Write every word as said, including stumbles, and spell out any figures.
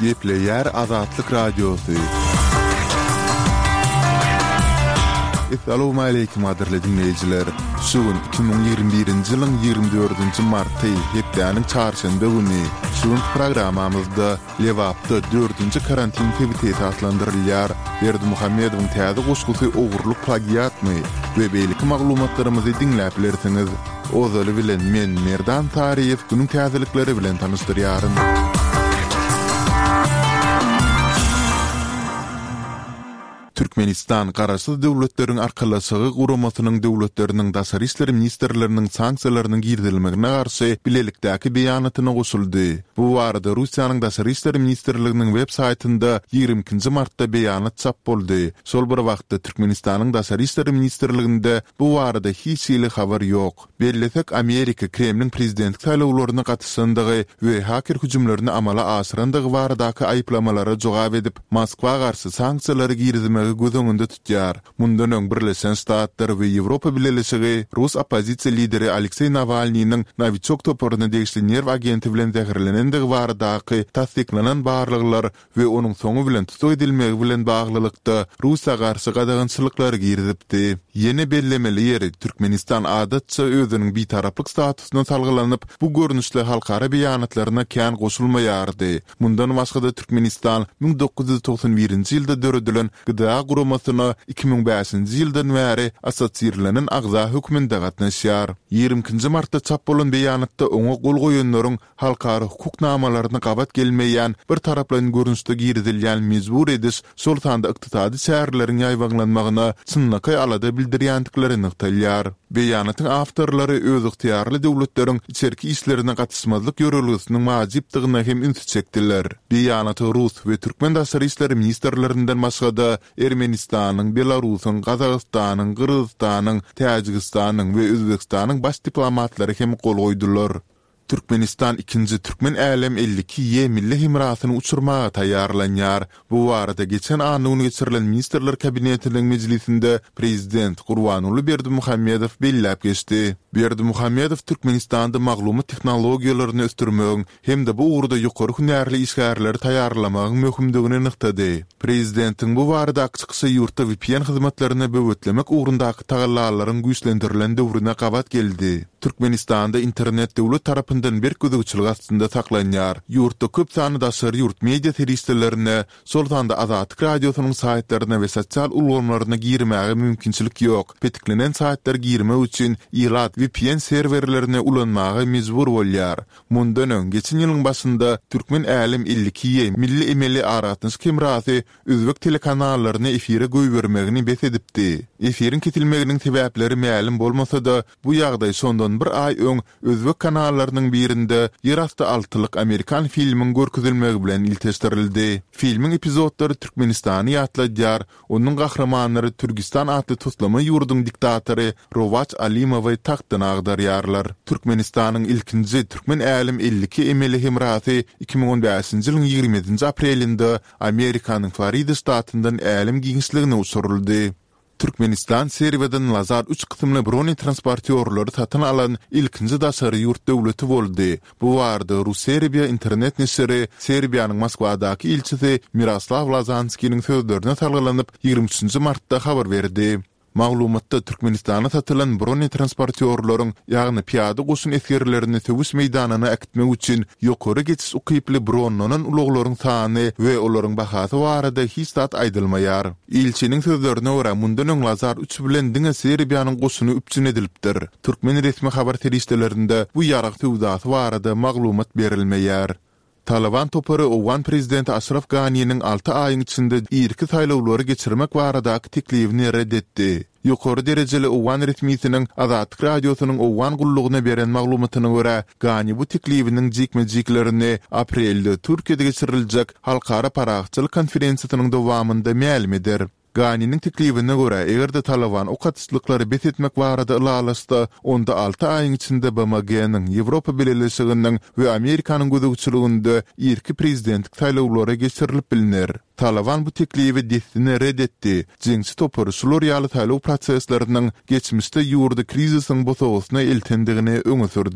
Gepleýär Azatlyk Radiosy. Essalawmaleýkim gadyrly diňleýjiler! Şu gün iki müň ýigrimi birinji ýylyň ýigrimi dördünji marty, hepdäniň çarşenbe güni. Şu günki programmamyzda Lebapda dördünji karantin sebiti esaslandyrylýar, Berdimuhamedowyň täze goşgusy ogurlyk plagiatmy we beýleki maglumatlarymyzy diňläp bilersiňiz. Ozaly bilen men Merdan Saryýew günüň täzelikleri bilen tanyşdyrýaryn. Türkmenistan Garaşsyz Döwletleriň Arkalaşygy Guramasynyň döwletleriniň daşary işler ministrleriniň sanksiýalarynyň girizilmegine garşy bilelikdäki beýanatyna goşuldy. Bu barada Russiýanyň Daşary işler ministrliginiň web saýtynda ýigrimi ikinji martda beýanat çap boldy. Şol bir wagtda Türkmenistanyň Daşary işler ministrliginde bu barada hiç hili habar ýok. Bellesek, Amerika Kremliň prezidentlik saýlawlaryna gatyşandygy we haker hüjümlerini amala aşyrandygy baradaky aýyplamalara jogap edip, Moskwa garşy sanksiýalary girizmegi göz öňünde tutýar. Mundan öň Birleşen Ştatlar we Ýewropa Bileleşigi rus oppozisiýa lideri Alekseý Nawalnynyň Nowiçok toparyna degişli nerw agenti bilen zäherlenendigi baradaky tassyklanan barlaglar we onuň soňy bilen tussag edilmegi bilen baglylykda Russiýa garşy gadagançylyklary girizipdi. Ýene bellemeli ýeri, Türkmenistan adatça özüniň bitaraplyk statusyna salgylanyp, bu görnüşli halkara beýanatlaryna kän goşulmaýardy. Mundan başga-da Türkmenistan müň dokuz ýüz togsan birinji ýylda döredilen GDA guramasyna iki müň bäşinji ýyldan bäri assosirlenen agza hökmünde gatnaşýar. Ýigrimi ikinji martda çap bolan beýanatda oňa gol goýanlaryň halkara hukuk namalaryna gabat gelmeýän birtaraplaýyn görnüşde girizilýän mejbur ediş, şol sanda ykdysady çäreleriň ýaýbaňlanmagyna çynlakaý alada bildirýändikleri nygtalýar. Beýanatyň awtorlary özygtyýarly döwletleriň içerki işlerine gatyşmazlyk ýörelgesiniň wajypdygyna hem ünsi çekdiler. Beýanata rus we türkmen daşary işler ministrlerinden başga-da Ermenistanyň, Belarusyň, Gazagystanyň, Gyrgyzystanyň, Täjigistanyň we Özbegistanyň baş diplomatlary hem gol goýdular. Türkmenistan ikinji Türkmen Älem elli iki Y milli hemrasyny uçurmaga taýýarlanýar. Bu barada geçen anna güni geçirilen Ministrler Kabinetiniň mejlisinde prezident Gurbanguly Berdimuhamedow belläp geçdi. Berdimuhamedow Türkmenistanda maglumat tehnologiýalaryny ösdürmegiň hem-de bu ugurda ýokary hünärli işgärleri taýýarlamagyň möhümdigini nygtady. Prezidentiň bu baradaky çykyşy ýurtda vpn hyzmatlaryny böwetlemek ugrundaky tagallalaryň güýçlendirilen döwrüne gabat geldi. Türkmenistanda internet döwlet tarapyndan berk gözegçilik astynda saklanýar. Ýurtda köp sanly daşary ýurt media serişdelerine, şol sanda Azatlyk Radiosynyň saýtlaryna we sosial ulgamlaryna girmäge mümkinçilik ýok. Petiklenen saýtlara girmek üçin ilat vpn serwerlerini ulanmaga mejbur bolýar. Mundan öň, geçen ýylyň başynda Türkmen Älem elli iki Y milli emeli aragatnaşyk hemrasy özbek telekanallaryny efire goýbermegini bes edipdi. Efiriň kesilmeginiň sebäpleri mälim bolmasa-da, bu ýagdaý şondan bir aý öň özbek kanallarynyň birinde Ýerasty altylyk amerikan filmiň görkezilmegi bilen ilteşdirildi. Filmiň epizodlary Türkmenistany ýatladýar, onuň gahrymanlary Türgistan atly toslama ýurduň diktatory Rowaç Alimowy tagtdan agdarýarlar. Türkmenistanyň ilkinji Türkmen Älem elli iki emeli hemrasy iki müň on bäşinji ýylyň ýigrimi ýedinji aprelinde Amerikanyň Florida ştatyndan älem giňişligine uçuryldy. Türkmenistan Serbiýadan Lazar üç kysymly bronetransportýorlary satyn alan ilkinji daşary ýurt döwleti boldy. Bu barada RuSerbia internet neşiri Serbiýanyň Moskwadaky ilçisi Miroslaw Lazanskiniň sözlerine salgylanyp, ýigrimi üçünji martda habar berdi. Maglumatda Türkmenistana satylan bronetransportýorlaryň, ýagny pyýada goşun esgerlerini söweş meýdanyna äkitmek üçin ýokary geçiş ukyply bronlanan ulaglaryň sany we olaryň bahasy barada hiç zat aýdylmaýar. Ilçiniň sözlerine görä, mundan öň Lazar üç bilen diňe Serbiýanyň goşuny üpjün edilipdir. Türkmen resmi habar serişdelerinde bu ýarag söwdasy barada maglumat berilmeýär. Talyban topary owgan prezidenti Aşraf Ganiniň alty aýyň içinde irki saýlawlary geçirmek baradaky teklibini ret etdi. Ýokary derejeli owgan resmisiniň Azatlyk Radiosynyň Owgan gullugyna beren maglumatyna görä, Gani bu teklibiniň jikme-jiklerini aprelde Türkiýede geçiriljek Halkara parahatçylyk konferensiýasynyň dowamynda mälim eder. Ganiniň teklibine görä, eger-de Talyban ok atyşlyklary bes etmek barada ylalaşsa, onda alty aýyň içinde BMG-niň, Ýewropa Bileleşiginiň we Amerikanyň gözegçiliginde irki prezidentlik saýlawlary geçirilip bilner. Talyban bu teklibi dessine ret etdi. Jeňçi topary şular ýaly saýlaw prosesleriniň geçmişde ýurdy krizisiň bosagasyna eltendigini öňe sürdi.